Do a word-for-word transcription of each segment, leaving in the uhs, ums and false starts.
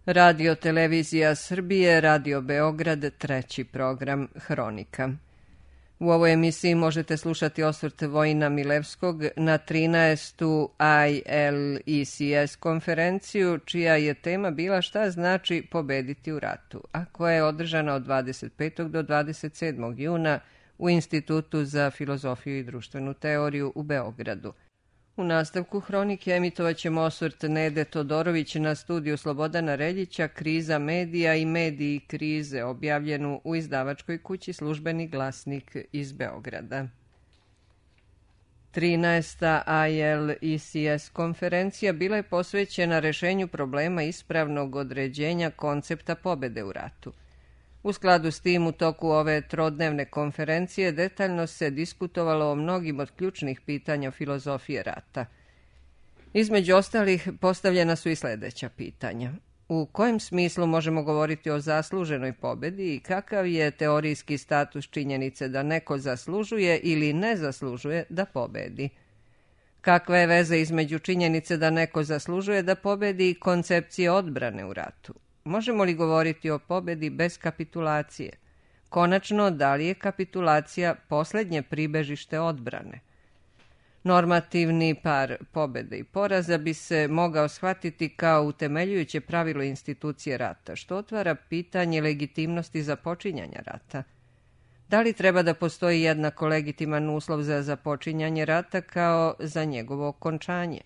Radio Televizija Srbije, Radio Beograd, treći program Hronika. U ovoj emisiji možete slušati osvrt Vojina Milevskog na trinaestu I L E C S konferenciju, čija je tema bila šta znači pobediti u ratu, a koja je održana od dvadeset petog do dvadeset sedmog juna u Institutu za filozofiju i društvenu teoriju u Beogradu. U nastavku Hronike emitovat ćemo osvrt Nede Todorović na studiju Slobodana Reljića Kriza medija i mediji krize, objavljenu u izdavačkoj kući Službeni glasnik iz Beograda. trinaesta I L E C S konferencija bila je posvećena rešenju problema ispravnog određenja koncepta pobede u ratu. U skladu s tim, u toku ove trodnevne konferencije detaljno se diskutovalo o mnogim od ključnih pitanja filozofije rata. Između ostalih postavljena su i sljedeća pitanja. U kojem smislu možemo govoriti o zasluženoj pobedi i kakav je teorijski status činjenice da neko zaslužuje ili ne zaslužuje da pobedi? Kakva je veza između činjenice da neko zaslužuje da pobedi i koncepcije odbrane u ratu? Možemo li govoriti o pobedi bez kapitulacije? Konačno, da li je kapitulacija posljednje pribežište odbrane? Normativni par pobede i poraza bi se mogao shvatiti kao utemeljujuće pravilo institucije rata, što otvara pitanje legitimnosti započinjanja rata. Da li treba da postoji jednako legitiman uslov za započinjanje rata kao za njegovo okončanje?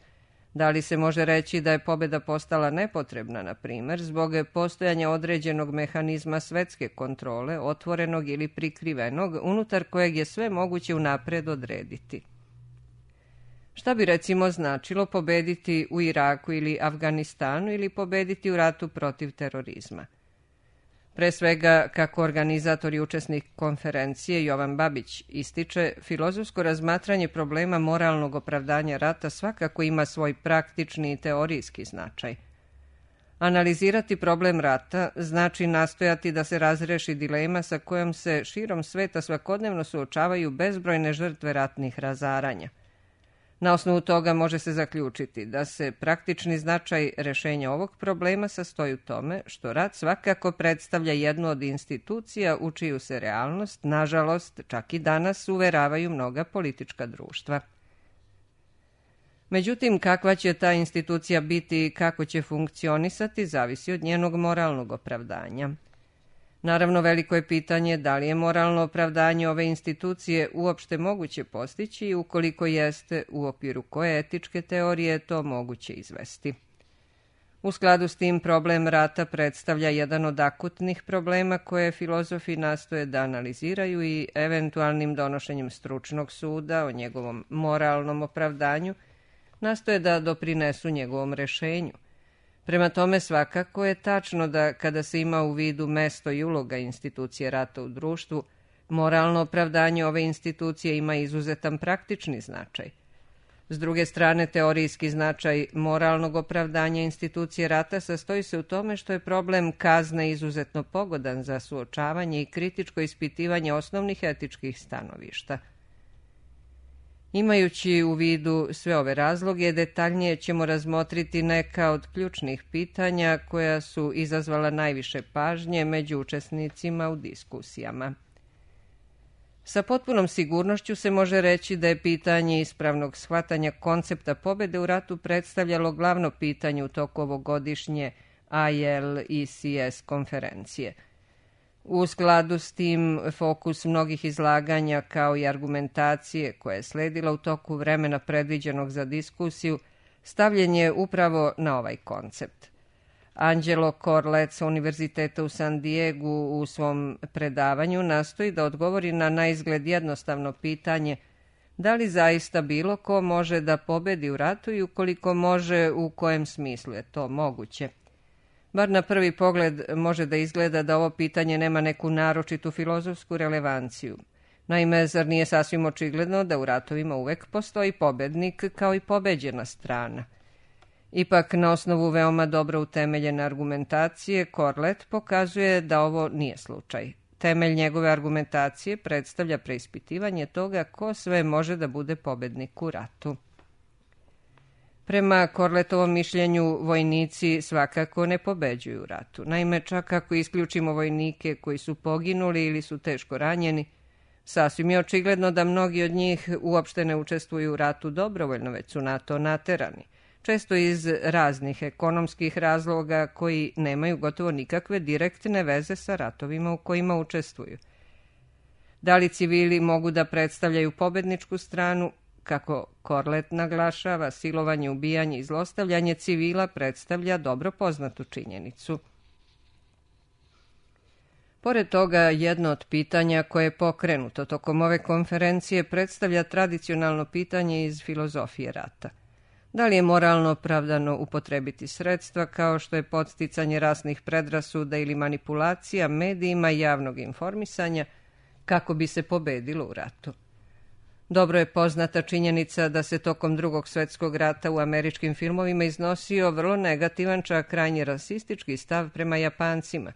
Da li se može reći da je pobeda postala nepotrebna, na primjer, zbog postojanja određenog mehanizma svetske kontrole, otvorenog ili prikrivenog, unutar kojeg je sve moguće unapred odrediti? Šta bi recimo značilo pobediti u Iraku ili Afganistanu ili pobediti u ratu protiv terorizma? Pre svega, kako organizator i učesnik konferencije Jovan Babić ističe, filozofsko razmatranje problema moralnog opravdanja rata svakako ima svoj praktični i teorijski značaj. Analizirati problem rata znači nastojati da se razreši dilema sa kojom se širom sveta svakodnevno suočavaju bezbrojne žrtve ratnih razaranja. Na osnovu toga može se zaključiti da se praktični značaj rešenja ovog problema sastoji u tome što rat svakako predstavlja jednu od institucija u čiju se realnost, nažalost, čak i danas uveravaju mnoga politička društva. Međutim, kakva će ta institucija biti i kako će funkcionisati zavisi od njenog moralnog opravdanja. Naravno, veliko je pitanje da li je moralno opravdanje ove institucije uopšte moguće postići i ukoliko jeste, u okviru koje etičke teorije je to moguće izvesti. U skladu s tim, problem rata predstavlja jedan od akutnih problema koje filozofi nastoje da analiziraju i eventualnim donošenjem stručnog suda o njegovom moralnom opravdanju nastoje da doprinesu njegovom rešenju. Prema tome, svakako je tačno da kada se ima u vidu mesto i uloga institucije rata u društvu, moralno opravdanje ove institucije ima izuzetan praktični značaj. S druge strane, teorijski značaj moralnog opravdanja institucije rata sastoji se u tome što je problem kazne izuzetno pogodan za suočavanje i kritičko ispitivanje osnovnih etičkih stanovišta. Imajući u vidu sve ove razloge, detaljnije ćemo razmotriti neka od ključnih pitanja koja su izazvala najviše pažnje među učesnicima u diskusijama. Sa potpunom sigurnošću se može reći da je pitanje ispravnog shvatanja koncepta pobede u ratu predstavljalo glavno pitanje u toku ovogodišnje I L E C S konferencije. U skladu s tim, fokus mnogih izlaganja kao i argumentacije koja je sledila u toku vremena predviđenog za diskusiju stavljen je upravo na ovaj koncept. Angelo Corlet sa Univerziteta u San Diegu u svom predavanju nastoji da odgovori na naizgled jednostavno pitanje da li zaista bilo ko može da pobedi u ratu i ukoliko može, u kojem smislu je to moguće. Bar na prvi pogled može da izgleda da ovo pitanje nema neku naročitu filozofsku relevanciju. Naime, zar nije sasvim očigledno da u ratovima uvek postoji pobednik kao i pobeđena strana? Ipak, na osnovu veoma dobro utemeljene argumentacije, Corlet pokazuje da ovo nije slučaj. Temelj njegove argumentacije predstavlja preispitivanje toga ko sve može da bude pobednik u ratu. Prema Korletovom mišljenju, vojnici svakako ne pobeđuju u ratu. Naime, čak ako isključimo vojnike koji su poginuli ili su teško ranjeni, sasvim je očigledno da mnogi od njih uopšte ne učestvuju u ratu dobrovoljno, već su na to naterani. Često iz raznih ekonomskih razloga koji nemaju gotovo nikakve direktne veze sa ratovima u kojima učestvuju. Da li civili mogu da predstavljaju pobedničku stranu? Kako Korlet naglašava, silovanje, ubijanje i zlostavljanje civila predstavlja dobro poznatu činjenicu. Pored toga, jedno od pitanja koje je pokrenuto tokom ove konferencije predstavlja tradicionalno pitanje iz filozofije rata. Da li je moralno opravdano upotrebiti sredstva kao što je podsticanje rasnih predrasuda ili manipulacija medijima javnog informisanja kako bi se pobedilo u ratu? Dobro je poznata činjenica da se tokom Drugog svjetskog rata u američkim filmovima iznosio vrlo negativan, čak krajnje rasistički stav prema Japancima.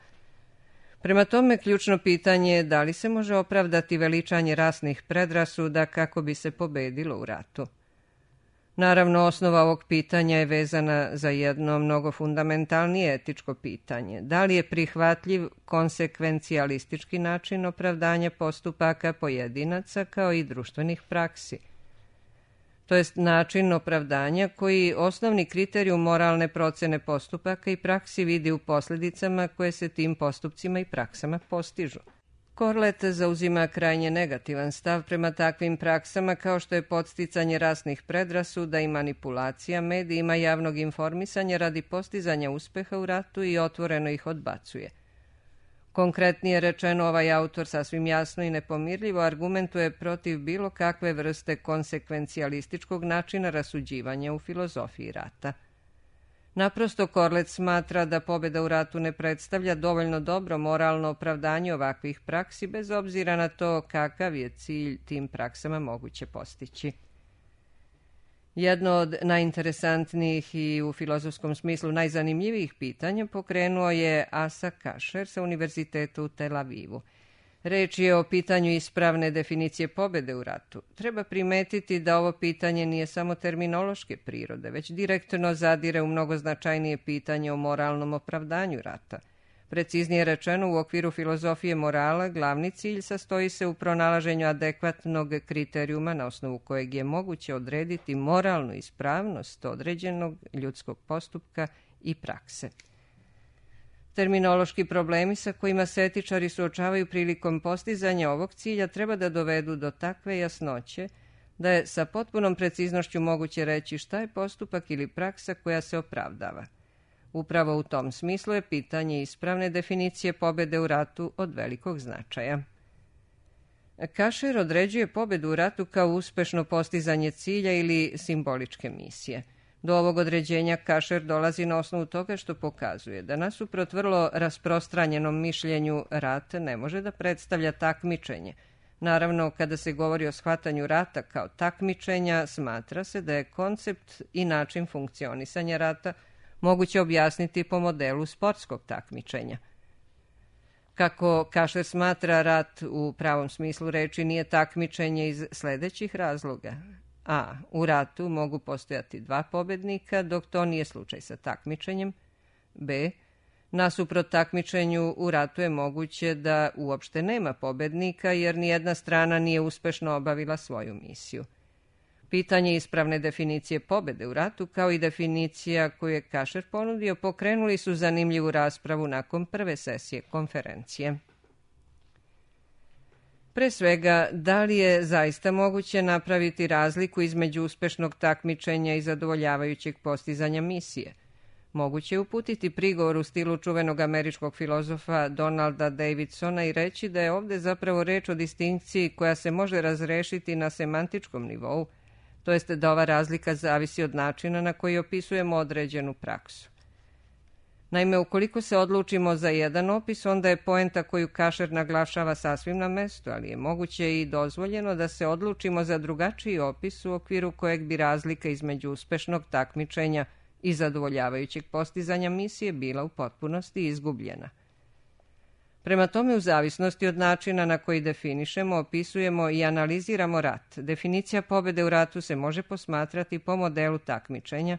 Prema tome, ključno pitanje je da li se može opravdati veličanje rasnih predrasuda kako bi se pobedilo u ratu. Naravno, osnova ovog pitanja je vezana za jedno mnogo fundamentalnije etičko pitanje. Da li je prihvatljiv konsekvencijalistički način opravdanja postupaka pojedinaca kao i društvenih praksi? To jest način opravdanja koji osnovni kriterijum moralne procene postupaka i praksi vidi u posljedicama koje se tim postupcima i praksama postižu. Korlet zauzima krajnje negativan stav prema takvim praksama kao što je podsticanje rasnih predrasuda i manipulacija medijima javnog informisanja radi postizanja uspeha u ratu i otvoreno ih odbacuje. Konkretnije rečeno, ovaj autor sasvim jasno i nepomirljivo argumentuje protiv bilo kakve vrste konsekvencijalističkog načina rasuđivanja u filozofiji rata. Naprosto, Korlet smatra da pobjeda u ratu ne predstavlja dovoljno dobro moralno opravdanje ovakvih praksi, bez obzira na to kakav je cilj tim praksama moguće postići. Jedno od najinteresantnijih i u filozofskom smislu najzanimljivijih pitanja pokrenuo je Asa Kasher sa Univerziteta u Tel Avivu. Reč je o pitanju ispravne definicije pobjede u ratu. Treba primetiti da ovo pitanje nije samo terminološke prirode, već direktno zadire u mnogo značajnije pitanje o moralnom opravdanju rata. Preciznije rečeno, u okviru filozofije morala glavni cilj sastoji se u pronalaženju adekvatnog kriterijuma na osnovu kojeg je moguće odrediti moralnu ispravnost određenog ljudskog postupka i prakse. Terminološki problemi sa kojima se etičari suočavaju prilikom postizanja ovog cilja treba da dovedu do takve jasnoće da je sa potpunom preciznošću moguće reći šta je postupak ili praksa koja se opravdava. Upravo u tom smislu je pitanje ispravne definicije pobjede u ratu od velikog značaja. Kasher određuje pobjedu u ratu kao uspešno postizanje cilja ili simboličke misije. Do ovog određenja Kasher dolazi na osnovu toga što pokazuje da nasuprot vrlo rasprostranjenom mišljenju rat ne može da predstavlja takmičenje. Naravno, kada se govori o shvatanju rata kao takmičenja, smatra se da je koncept i način funkcionisanja rata moguće objasniti po modelu sportskog takmičenja. Kako Kasher smatra, rat u pravom smislu reči nije takmičenje iz sledećih razloga. A. U ratu mogu postojati dva pobednika, dok to nije slučaj sa takmičenjem. B. Nasuprot takmičenju, u ratu je moguće da uopšte nema pobednika, jer nijedna strana nije uspešno obavila svoju misiju. Pitanje ispravne definicije pobjede u ratu, kao i definicija koju je Kasher ponudio, pokrenuli su zanimljivu raspravu nakon prve sesije konferencije. Pre svega, da li je zaista moguće napraviti razliku između uspešnog takmičenja i zadovoljavajućeg postizanja misije? Moguće je uputiti prigovor u stilu čuvenog američkog filozofa Donalda Davidsona i reći da je ovde zapravo reč o distinkciji koja se može razrešiti na semantičkom nivou, to jest da ova razlika zavisi od načina na koji opisujemo određenu praksu. Naime, ukoliko se odlučimo za jedan opis, onda je poenta koju Kasher naglašava sasvim na mestu, ali je moguće i dozvoljeno da se odlučimo za drugačiji opis u okviru kojeg bi razlika između uspešnog takmičenja i zadovoljavajućeg postizanja misije bila u potpunosti izgubljena. Prema tome, u zavisnosti od načina na koji definišemo, opisujemo i analiziramo rat, definicija pobjede u ratu se može posmatrati po modelu takmičenja,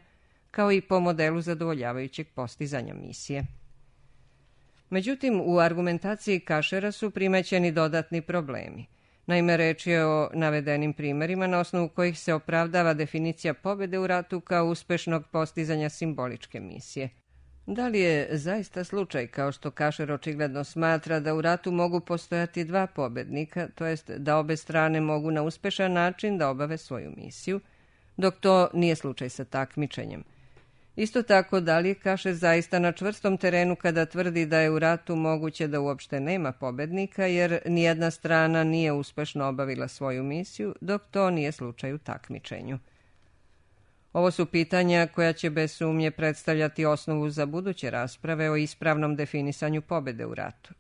kao i po modelu zadovoljavajućeg postizanja misije. Međutim, u argumentaciji Kašera su primećeni dodatni problemi. Naime, reč je o navedenim primjerima na osnovu kojih se opravdava definicija pobjede u ratu kao uspešnog postizanja simboličke misije. Da li je zaista slučaj, kao što Kašer očigledno smatra, da u ratu mogu postojati dva pobednika, to jest da obe strane mogu na uspešan način da obave svoju misiju, dok to nije slučaj sa takmičenjem? Isto tako, da li je Kašer zaista na čvrstom terenu kada tvrdi da je u ratu moguće da uopšte nema pobednika, jer nijedna strana nije uspešno obavila svoju misiju, dok to nije slučaj u takmičenju? Ovo su pitanja koja će bez sumnje predstavljati osnovu za buduće rasprave o ispravnom definisanju pobjede u ratu.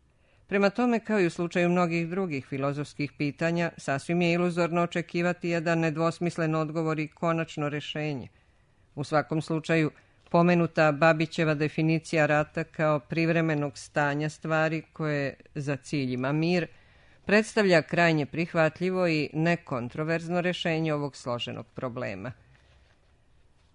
Prema tome, kao i u slučaju mnogih drugih filozofskih pitanja, sasvim je iluzorno očekivati jedan nedvosmislen odgovor i konačno rešenje. U svakom slučaju, pomenuta Babićeva definicija rata kao privremenog stanja stvari koje za cilj ima mir, predstavlja krajnje prihvatljivo i nekontroverzno rešenje ovog složenog problema.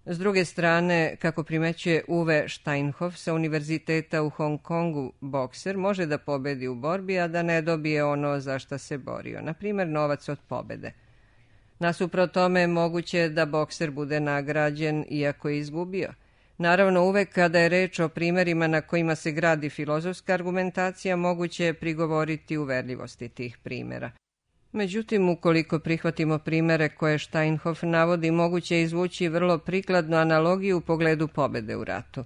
S druge strane, kako primećuje Uwe Steinhoff sa Univerziteta u Hong Kongu, bokser može da pobedi u borbi, a da ne dobije ono za šta se borio, na primjer novac od pobede. Nasuprot tome, moguće je da bokser bude nagrađen iako je izgubio. Naravno, uvek kada je reč o primjerima na kojima se gradi filozofska argumentacija, moguće je prigovoriti uverljivosti tih primjera. Međutim, ukoliko prihvatimo primjere koje Steinhoff navodi, moguće je izvući vrlo prikladnu analogiju u pogledu pobjede u ratu.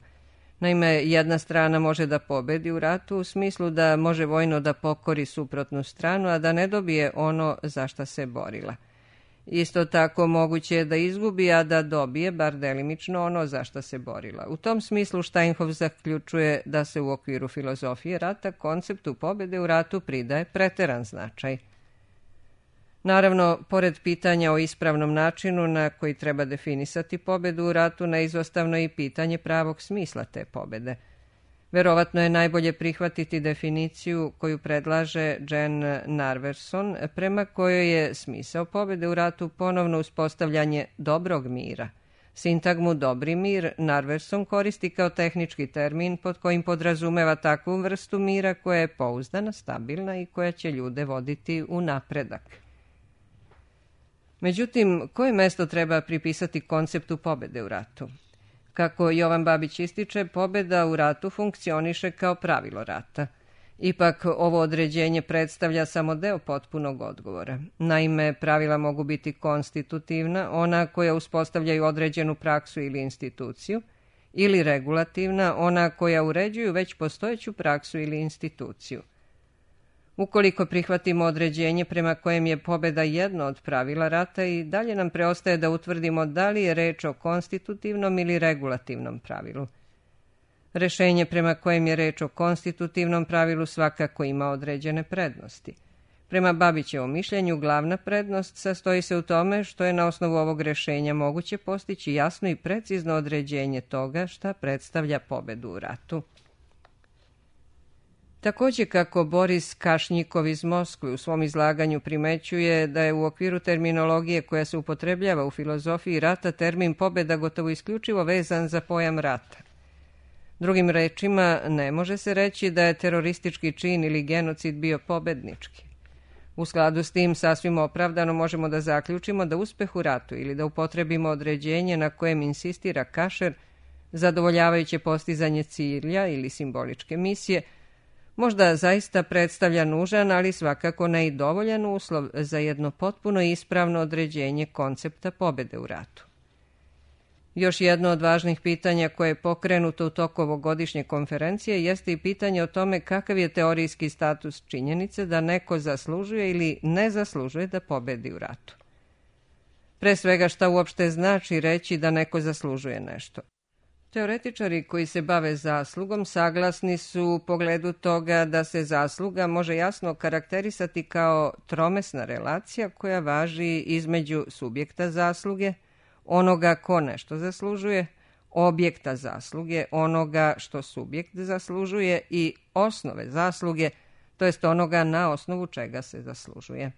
Naime, jedna strana može da pobedi u ratu u smislu da može vojno da pokori suprotnu stranu, a da ne dobije ono za šta se borila. Isto tako moguće je da izgubi, a da dobije, bar delimično, ono za šta se borila. U tom smislu Steinhoff zaključuje da se u okviru filozofije rata konceptu pobjede u ratu pridaje preteran značaj. Naravno, pored pitanja o ispravnom načinu na koji treba definisati pobjedu u ratu, neizostavno je i pitanje pravog smisla te pobjede. Verovatno je najbolje prihvatiti definiciju koju predlaže Jen Narverson, prema kojoj je smisao pobjede u ratu ponovno uspostavljanje dobrog mira. Sintagmu dobri mir Narverson koristi kao tehnički termin pod kojim podrazumeva takvu vrstu mira koja je pouzdana, stabilna i koja će ljude voditi u napredak. Međutim, koje mesto treba pripisati konceptu pobjede u ratu? Kako Jovan Babić ističe, pobjeda u ratu funkcioniše kao pravilo rata. Ipak, ovo određenje predstavlja samo deo potpunog odgovora. Naime, pravila mogu biti konstitutivna, ona koja uspostavljaju određenu praksu ili instituciju, ili regulativna, ona koja uređuju već postojeću praksu ili instituciju. Ukoliko prihvatimo određenje prema kojem je pobjeda jedno od pravila rata, i dalje nam preostaje da utvrdimo da li je reč o konstitutivnom ili regulativnom pravilu. Rešenje prema kojem je reč o konstitutivnom pravilu svakako ima određene prednosti. Prema Babićevom mišljenju, glavna prednost sastoji se u tome što je na osnovu ovog rešenja moguće postići jasno i precizno određenje toga šta predstavlja pobjedu u ratu. Također, kako Boris Kašnjikov iz Moskve u svom izlaganju primećuje da je u okviru terminologije koja se upotrebljava u filozofiji rata termin pobjeda gotovo isključivo vezan za pojam rata. Drugim rečima, ne može se reći da je teroristički čin ili genocid bio pobednički. U skladu s tim, sasvim opravdano možemo da zaključimo da uspeh u ratu ili da upotrebimo određenje na kojem insistira Kašer, zadovoljavajuće postizanje cilja ili simboličke misije, možda zaista predstavlja nužan, ali svakako ne i dovoljan uslov za jedno potpuno ispravno određenje koncepta pobjede u ratu. Još jedno od važnih pitanja koje je pokrenuto u toku ovogodišnje konferencije jeste i pitanje o tome kakav je teorijski status činjenice da neko zaslužuje ili ne zaslužuje da pobedi u ratu. Pre svega, šta uopšte znači reći da neko zaslužuje nešto? Teoretičari koji se bave zaslugom saglasni su u pogledu toga da se zasluga može jasno karakterisati kao tromesna relacija koja važi između subjekta zasluge, onoga ko nešto zaslužuje, objekta zasluge, onoga što subjekt zaslužuje i osnove zasluge, to jest onoga na osnovu čega se zaslužuje.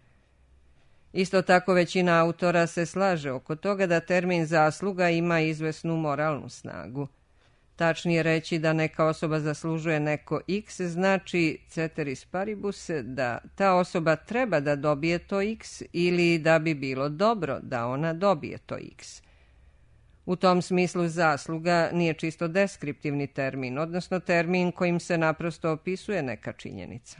Isto tako većina autora se slaže oko toga da termin zasluga ima izvesnu moralnu snagu. Tačnije reći da neka osoba zaslužuje neko x znači ceteris paribus, da ta osoba treba da dobije to x ili da bi bilo dobro da ona dobije to x. U tom smislu zasluga nije čisto deskriptivni termin, odnosno termin kojim se naprosto opisuje neka činjenica.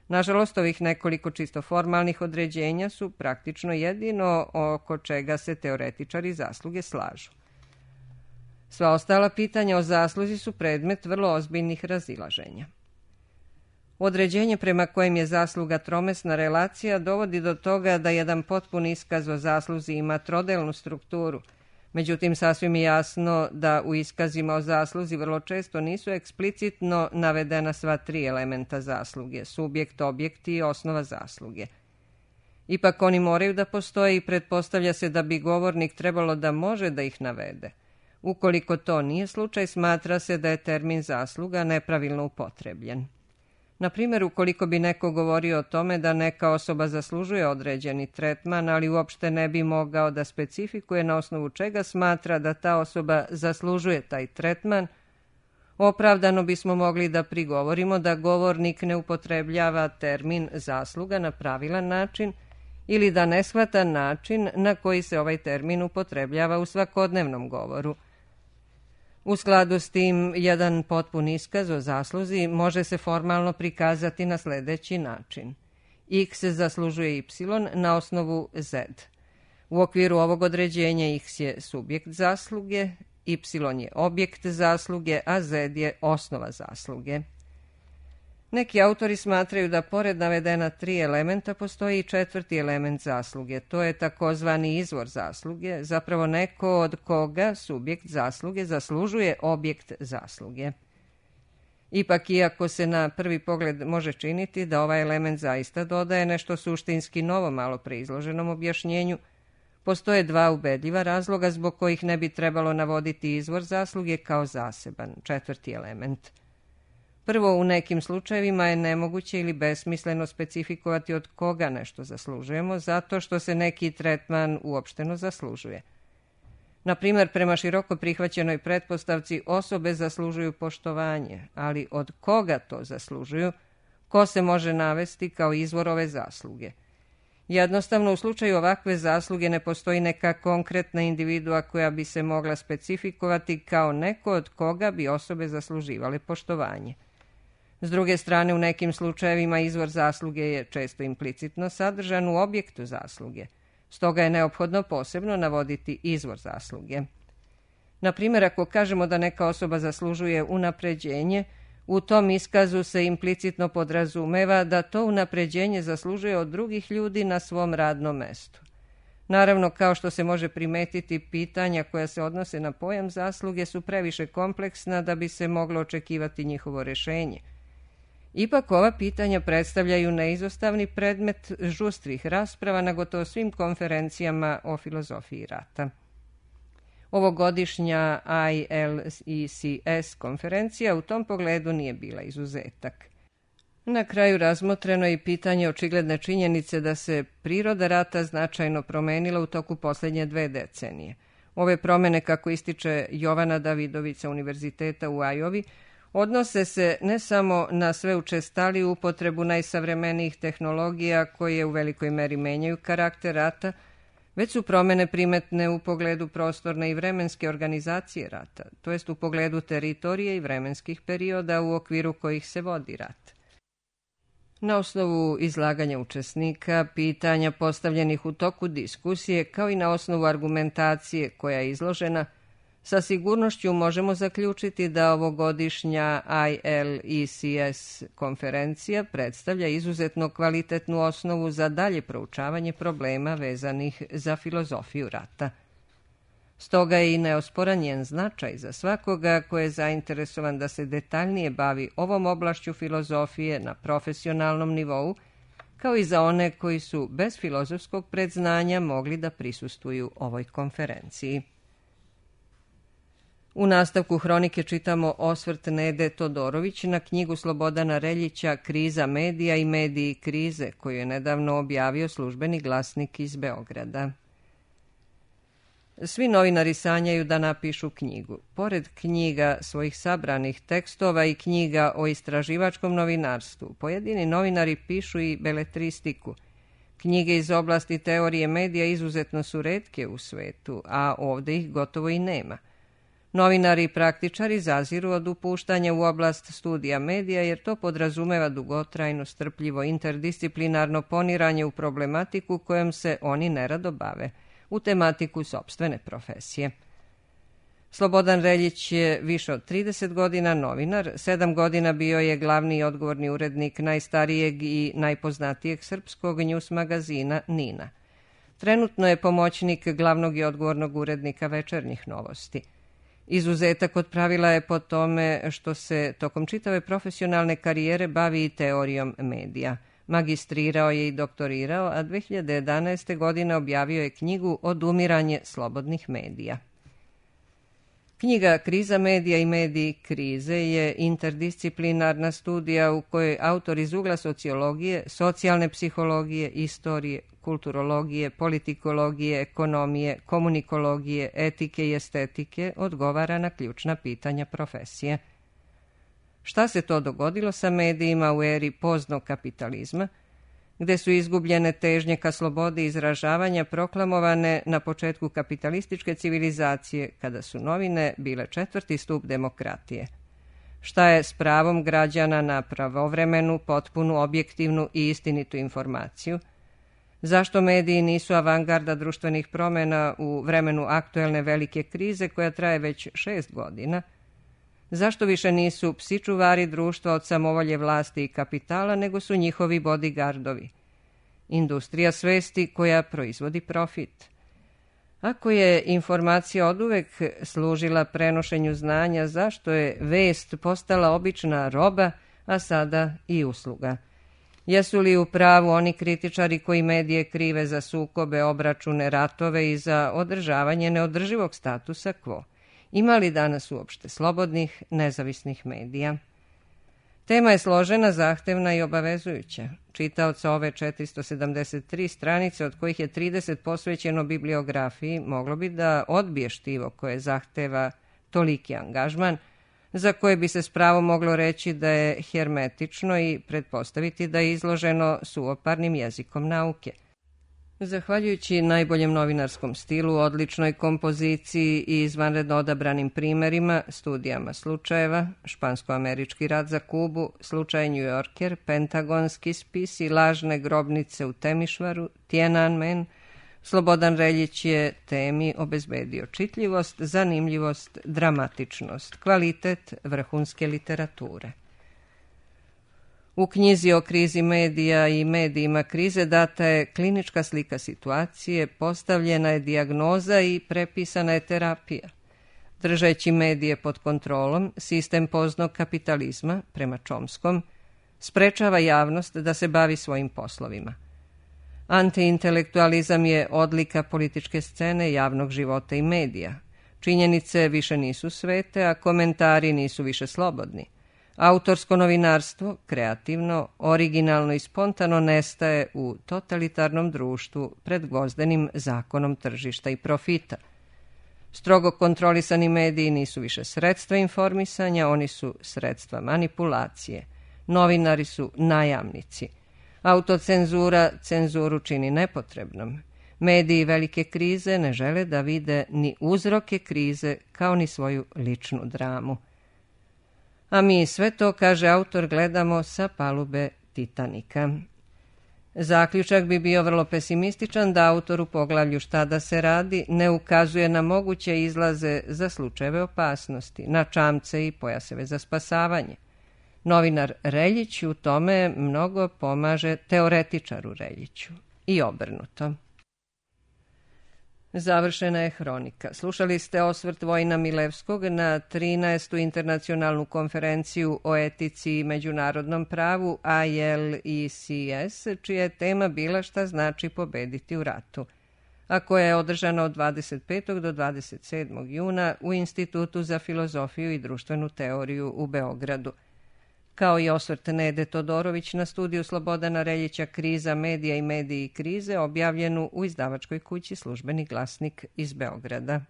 Nažalost, ovih nekoliko čisto formalnih određenja su praktično jedino oko čega se teoretičari zasluge slažu. Sva ostala pitanja o zasluzi su predmet vrlo ozbiljnih razilaženja. Određenje prema kojem je zasluga tromesna relacija dovodi do toga da jedan potpun iskaz o zasluzi ima trodelnu strukturu, međutim sasvim je jasno da u iskazima o zasluzi vrlo često nisu eksplicitno navedena sva tri elementa zasluge, subjekt, objekt i osnova zasluge. Ipak oni moraju da postoje i pretpostavlja se da bi govornik trebalo da može da ih navede. Ukoliko to nije slučaj, smatra se da je termin zasluga nepravilno upotrebljen. Na primjer, ukoliko bi neko govorio o tome da neka osoba zaslužuje određeni tretman, ali uopšte ne bi mogao da specifikuje na osnovu čega smatra da ta osoba zaslužuje taj tretman, opravdano bismo mogli da prigovorimo da govornik ne upotrebljava termin zasluga na pravilan način ili da ne shvata način na koji se ovaj termin upotrebljava u svakodnevnom govoru. U skladu s tim, jedan potpun iskaz o zasluzi može se formalno prikazati na sljedeći način. X zaslužuje y na osnovu z. U okviru ovog određenja x je subjekt zasluge, y je objekt zasluge, a z je osnova zasluge. Neki autori smatraju da pored navedena tri elementa postoji i četvrti element zasluge. To je takozvani izvor zasluge, zapravo neko od koga subjekt zasluge zaslužuje objekt zasluge. Ipak, iako se na prvi pogled može činiti da ovaj element zaista dodaje nešto suštinski novo malo pre izloženom objašnjenju, postoje dva ubedljiva razloga zbog kojih ne bi trebalo navoditi izvor zasluge kao zaseban, četvrti element. Prvo, u nekim slučajevima je nemoguće ili besmisleno specifikovati od koga nešto zaslužujemo, zato što se neki tretman uopšteno zaslužuje. Na primjer, prema široko prihvaćenoj pretpostavci osobe zaslužuju poštovanje, ali od koga to zaslužuju, ko se može navesti kao izvor ove zasluge? Jednostavno, u slučaju ovakve zasluge ne postoji neka konkretna individua koja bi se mogla specifikovati kao neko od koga bi osobe zasluživale poštovanje. S druge strane, u nekim slučajevima izvor zasluge je često implicitno sadržan u objektu zasluge. Stoga je neophodno posebno navoditi izvor zasluge. Na primjer, ako kažemo da neka osoba zaslužuje unapređenje, u tom iskazu se implicitno podrazumeva da to unapređenje zaslužuje od drugih ljudi na svom radnom mestu. Naravno, kao što se može primetiti, pitanja koja se odnose na pojam zasluge su previše kompleksna da bi se moglo očekivati njihovo rješenje. Ipak ova pitanja predstavljaju neizostavni predmet žustrih rasprava na gotovo svim konferencijama o filozofiji rata. Ovogodišnja I L E C S konferencija u tom pogledu nije bila izuzetak. Na kraju razmotreno je i pitanje očigledne činjenice da se priroda rata značajno promenila u toku posljednje dve decenije. Ove promjene, kako ističe Jovana Davidović sa Univerziteta u Ajovi, odnose se ne samo na sve učestaliju upotrebu najsavremenijih tehnologija koje u velikoj meri menjaju karakter rata, već su promjene primetne u pogledu prostorne i vremenske organizacije rata, to jest u pogledu teritorije i vremenskih perioda u okviru kojih se vodi rat. Na osnovu izlaganja učesnika, pitanja postavljenih u toku diskusije, kao i na osnovu argumentacije koja je izložena, sa sigurnošću možemo zaključiti da ovogodišnja I L E C S konferencija predstavlja izuzetno kvalitetnu osnovu za dalje proučavanje problema vezanih za filozofiju rata. Stoga je i neosporan njen značaj za svakoga ko je zainteresovan da se detaljnije bavi ovom oblašću filozofije na profesionalnom nivou, kao i za one koji su bez filozofskog predznanja mogli da prisustvuju ovoj konferenciji. U nastavku hronike čitamo osvrt Nede Todorović na knjigu Slobodana Reljića Kriza medija i mediji krize, koju je nedavno objavio Službeni glasnik iz Beograda. Svi novinari sanjaju da napišu knjigu. Pored knjiga svojih sabranih tekstova i knjiga o istraživačkom novinarstvu, pojedini novinari pišu i beletristiku. Knjige iz oblasti teorije medija izuzetno su retke u svetu, a ovdje ih gotovo i nema. Novinari i praktičari zaziru od upuštanja u oblast studija medija jer to podrazumeva dugotrajno, strpljivo, interdisciplinarno poniranje u problematiku kojom se oni nerado bave, u tematiku sopstvene profesije. Slobodan Reljić je više od trideset godina novinar, sedam godina bio je glavni i odgovorni urednik najstarijeg i najpoznatijeg srpskog news magazina Nina. Trenutno je pomoćnik glavnog i odgovornog urednika Večernjih novosti. Izuzetak od pravila je po tome što se tokom čitave profesionalne karijere bavi i teorijom medija. Magistrirao je i doktorirao, a dve hiljade jedanaeste. godine objavio je knjigu Odumiranje slobodnih medija. Knjiga Kriza medija i mediji krize je interdisciplinarna studija u kojoj autor iz ugla sociologije, socijalne psihologije, istorije, kulturologije, politikologije, ekonomije, komunikologije, etike i estetike odgovara na ključna pitanja profesije. Šta se to dogodilo sa medijima u eri poznog kapitalizma, gde su izgubljene težnje ka slobodi izražavanja proklamovane na početku kapitalističke civilizacije, kada su novine bile četvrti stup demokratije? Šta je s pravom građana na pravovremenu, potpunu, objektivnu i istinitu informaciju? Zašto mediji nisu avangarda društvenih promjena u vremenu aktuelne velike krize koja traje već šest godina? Zašto više nisu psi čuvari društva od samovolje vlasti i kapitala, nego su njihovi bodyguardovi? Industrija svesti koja proizvodi profit. Ako je informacija oduvek služila prenošenju znanja, zašto je vest postala obična roba, a sada i usluga? Jesu li u pravu oni kritičari koji medije krive za sukobe, obračune, ratove i za održavanje neodrživog statusa quo? Ima li danas uopšte slobodnih, nezavisnih medija? Tema je složena, zahtevna i obavezujuća. Čitaoca ove četiristo sedamdeset tri stranice, od kojih je trideset posvećeno bibliografiji, moglo bi da odbije štivo koje zahteva toliki angažman, za koje bi se s pravom moglo reći da je hermetično i pretpostaviti da je izloženo suvoparnim jezikom nauke. Zahvaljujući najboljem novinarskom stilu, odličnoj kompoziciji i izvanredno odabranim primerima, studijama slučajeva, špansko-američki rat za Kubu, slučaj New Yorker, pentagonski spis i lažne grobnice u Temišvaru, Tiananmen, Slobodan Reljić je temi obezbedio čitljivost, zanimljivost, dramatičnost, kvalitet vrhunske literature. U knjizi o krizi medija i medijima krize data je klinička slika situacije, postavljena je dijagnoza i prepisana je terapija. Držeći medije pod kontrolom, sistem poznog kapitalizma, prema Čomskom, sprečava javnost da se bavi svojim poslovima. Antiintelektualizam je odlika političke scene, javnog života i medija. Činjenice više nisu svete, a komentari nisu više slobodni. Autorsko novinarstvo, kreativno, originalno i spontano nestaje u totalitarnom društvu pred gvozdenim zakonom tržišta i profita. Strogo kontrolisani mediji nisu više sredstva informisanja, oni su sredstva manipulacije. Novinari su najamnici. Autocenzura cenzuru čini nepotrebnom. Mediji velike krize ne žele da vide ni uzroke krize kao ni svoju ličnu dramu. A mi sve to, kaže autor, gledamo sa palube Titanika. Zaključak bi bio vrlo pesimističan da autor u poglavlju Šta da se radi ne ukazuje na moguće izlaze za slučajeve opasnosti, na čamce i pojaseve za spasavanje. Novinar Reljić u tome mnogo pomaže teoretičaru Reljiću i obrnuto. Završena je hronika. Slušali ste osvrt Vojina Milevskog na trinaestu internacionalnu konferenciju o etici i međunarodnom pravu I L E C S, čija je tema bila šta znači pobediti u ratu. a koja je održana od dvadeset petog do dvadeset sedmog juna u Institutu za filozofiju i društvenu teoriju u Beogradu. Kao i osvrt Nede Todorović na studiju Slobodana Reljića Kriza, medija i mediji krize, objavljenu u izdavačkoj kući Službeni glasnik iz Beograda.